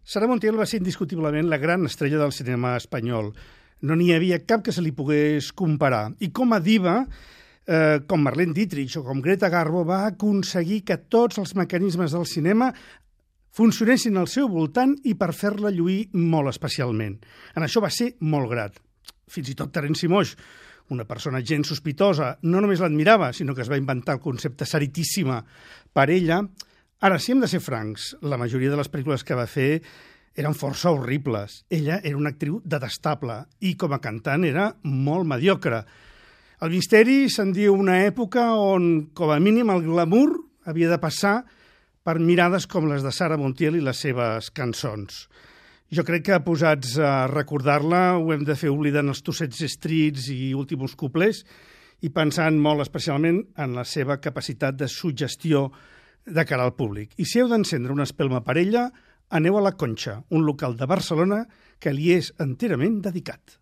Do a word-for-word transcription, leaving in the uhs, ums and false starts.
Sara Montiel va ser indiscutiblement la gran estrella del cinema espanyol. No n'hi havia cap que se li pogués comparar. I com a diva, eh, com Marlene Dietrich o com Greta Garbo, va aconseguir que tots els mecanismes del cinema funcionessin al seu voltant i per fer-la lluir molt especialment. En això va ser molt grat. Fins i tot Terence Moix, una persona gens sospitosa, no només l'admirava, sinó que es va inventar el concepte Saritíssima per ella. Ara, si hem de ser francs, la majoria de les pel·lícules que va fer eren força horribles. Ella era una actriu detestable i com a cantant era molt mediocre. El misteri se'n diu una època on, com a mínim, el glamour havia de passar per mirades com les de Sara Montiel i les seves cançons. Jo crec que, posats a recordar-la, ho hem de fer oblidant els tossets estrits i últims cuplers i pensant molt especialment en la seva capacitat de suggestió de cara al públic. I si heu d'encendre una espelma per ella, aneu a La Conxa, un local de Barcelona que li és enterament dedicat.